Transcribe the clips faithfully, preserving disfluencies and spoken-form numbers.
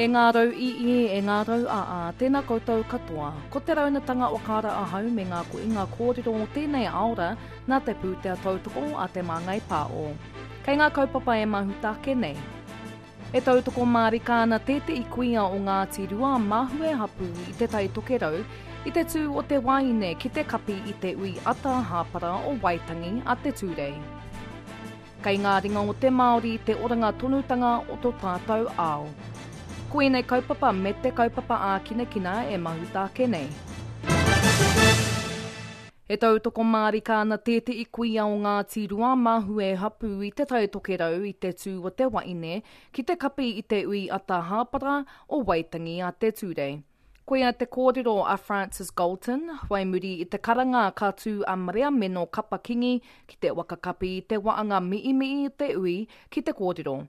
E ngā rau ii, e ngā rau aa, tēnā koutou katoa. Ko te raunatanga o kāra ahau me ngā koinga kōrero o tēnei aora nā te pūtea tautoko a Te Māngai Pāo. Kei ngā kaupapa e mahuta ake nei. E tautoko mārika ana tētehi kuia o Ngāti Rua Mahue hapū i Te Tai Tokerau i te tū o te waeine ki te kapi i te ui ata hāpara o Waitangi a Te Tūrei. Kei ngā ringa o te Māori te oranga tonutanga o tō tātou ao. Ko ēnei kaupapa me te kaupapa ākinakina e mahuta ake nei. E tautoko mārika ana tētehi kuia o Ngāti Rua Mahue hapū i Te Tai Tokerau i te tū o te waeine ki te kapi i te ui ata hāpara o Waitangi a Te Tūrei. Koia te kōrero a Francis Galton, whai muri i te karanga ka tū a Mariameno Kapa-Kingi ki te waka kapi i te waanga mi'imi'i te ui ki te kōrero.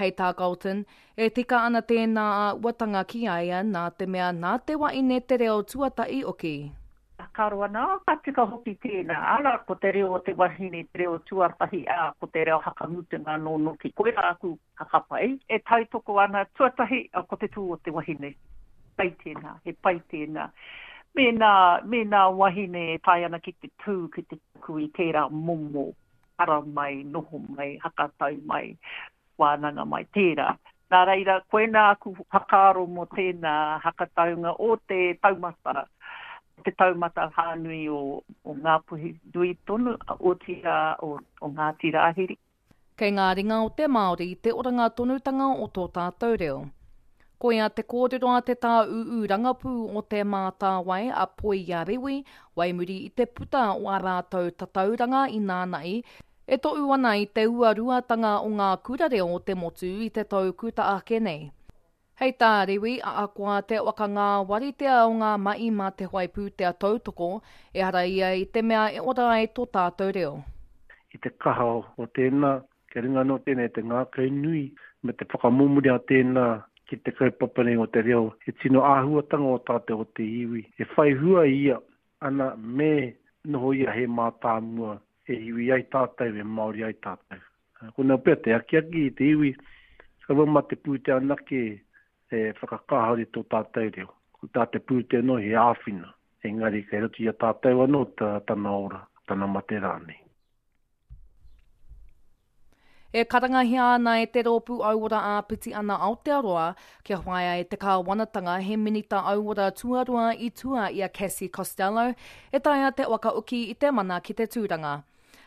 Hei tā Galton, e tika ana tēnā āhuatanga ki a ia nā te mea nā te waeine te reo tuatahi oki. Whakaaro ana, oh, ka tika hoki tēnā. Ara, ko te reo o te wahine, te reo tuatahi, ā, ko te reo hakamutunga anō noki. Koirā aku whakapae. E tautoko ana, tuatahi, ko te tū o te wahine. Pai tēnā, he pai tēnā. Mēnā, mēnā wahine e tae ana ki te tū, ki te tuku i tērā momo, ara mai, noho mai, hakatau mai, wānanga mai, tērā. Nā reira, koinā aku whakaaro mō tēnā hakataunga o te taumata, te taumata whānui o, o Ngāpuhi nui tonu, otirā o, o Ngāti Rāhiri. Kei ngā ringa o te Māori te oranga tonutanga o tō tātou reo. Koia te kōrero a te tāūū rangapū o Te Mātāwai a Poia Rewi, wai muri i te puta o ā rātou tatauranga i nāna'i, e tohu ana i te uaruatanga o ngā kura reo o te motu i te tau kuta ake nei. Hei tā Rewi, ahakoa te whakangāwaritea o ngā mahi mā te whai pūtea tautoko, ehara ia i te mea e ora ai tō tātou reo. I te kaha o tēnā, kia ringa anō tēnei te ngākau nui me te whakamomori a tēnā ki te kaupapa nei o te reo, he tino āhuatanga o tātou o te iwi. E whai hua ia, ana me noho ia he mātāmua e iwi ai tātou, e Māori ai tātou. Ko nā pea te akiaki i te iwi, kaua mā te pūtea anake e whakakāhore tō tātou reo. Ko tā te pūtea anō he āwhina, engari kei roto i a tātou anō tā, tana ora, tana mate rānei. E karangahia ana e te rōpū Auora Āpiti Ana Aotearoa kia whaia e te kāwanatanga he minita auora tuarua i tua i a Cassie Costello e taea te whakaoki i te mana ki te tūranga.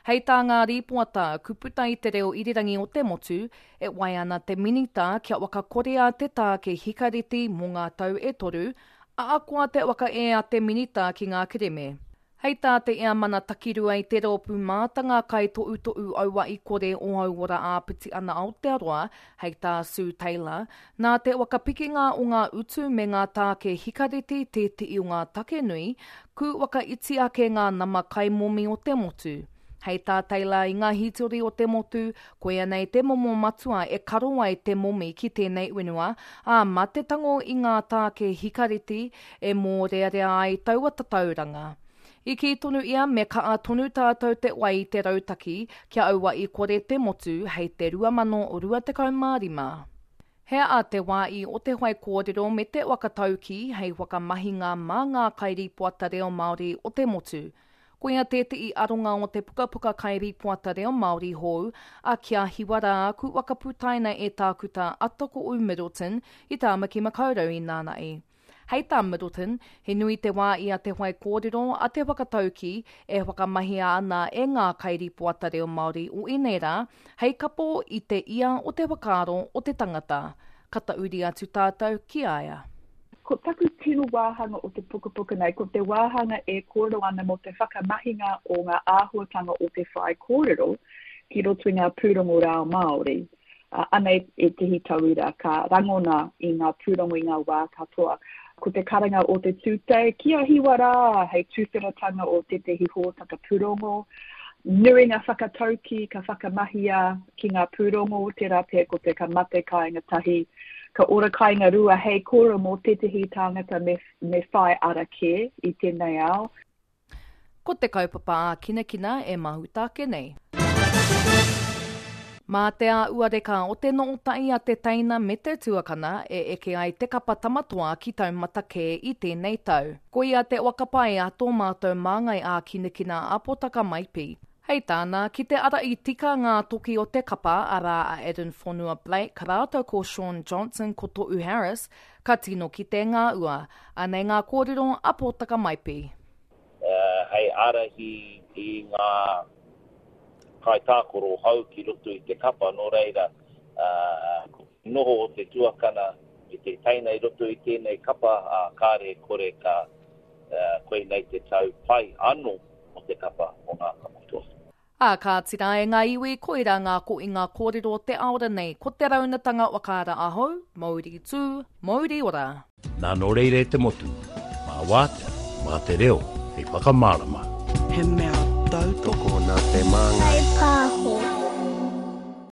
Hei tā ngā rīpoata, kuputa i te reo irirangi o te motu, e wai ana te minita kia whakakorea te tāke hikareti mō ngā tau e toru, ahakoa te whakaē a te minita ki ngā kereme. Hei tā te Eamana Takirua i te rōpū mātanga kaitohutohu auahi kore o Auora Āpiti Ana Aotearoa, hei tā Sue Taylor, nā te whakapikinga o ngā utu me ngā tāke hikareti tētehi o ngā take nui, ku whakaiti ake ngā nama kaimomi o te motu. Hei tā Taylor i ngā hītori o te motu, koia nei te momo matua e karo ai te momi ki tēnei whenua, ā, mā te tango i ngā tāke hikareti e mōrearea ai taua tatauranga. I kī tonu ia me kaa tonu tātou te wai i te rautaki kia auahi kore te motu hei te rua mano rua tekau mā rima. He a te wā i o te whai kōrero me te whakatauki hei whakamahinga mā ngā kairipoata reo Māori o te motu. Koia tētehi aronga o te pukapuka kairipoata reo Māori hou a Kia Hiwa Rā ku whakaputaina e tākuta Atako'u Middleton i Tāmaki Makaurau i nāna'i. Hei tā Middleton, he nui te wā i a te whai kōrero a te whakatauki e whakamahia ana e ngā kairipoata reo Māori o ēnei rā, hei kapo i te ia o te whakaaro o te tangata. Ka tauri atu tātou ki a ia. Ko taku tino wāhanga o te pukapuka nei, ko te wāhanga e kōrero ana mō te whakamahinga o ngā āhuatanga o te whai kōrero ki roto i ngā pūrongo reo Māori. Uh, anei ētehi tauira ka rangona i ngā pūrongo i ngā wā katoa. Ko te karanga o te tūtei, kia hiwa rā, hei tūwheratanga o tētehi hōtaka pūrongo. Nui ngā whakatauki ka whakamahia ki ngā pūrongo, tērā pea ko te ka mate kāinga tahi, ka ora kāinga rua hei kōrero mō tētehi tāngata me, me whai ara kē i tēnei ao. Ko te kaupapa ākinakina e mahuta ake nei. Mā te āuareka o te nootai a te teina me te tuakana e eke ai te kapa tamatoa ki taumata kē i tēnei tau. Koia te wakapai a tō mātou māngai ā-kinakina a Potaka Maipi. Hei tāna, ki te ara i tika ngā toki o te kapa, arā a Addin Fonua Blake rātou ko Shaun Johnson ko To'u Harris, ka tino ki te ngā ua. Anei ngā kōrero a Potaka Maipi. Uh, hei ārahi i ngā kaitākaro hou ki roto i te kapa, nō reira, uh, noho o te tuakana me te teina i roto i tēnei kapa, uh, kāre kore ka uh, koinei te tau pai anō o te kapa o ngā Tamatoa. Ā, ka tira e ngā iwi, koira ngā ko i ngā kōrero te aora nei, ko te raunatanga wakaara ahau, mauri tū, mauri ora. Nā nō reira e te motu, mā wātea, mā te reo, hei whakamārama. He mea tautoko Tokona te māngai. Hei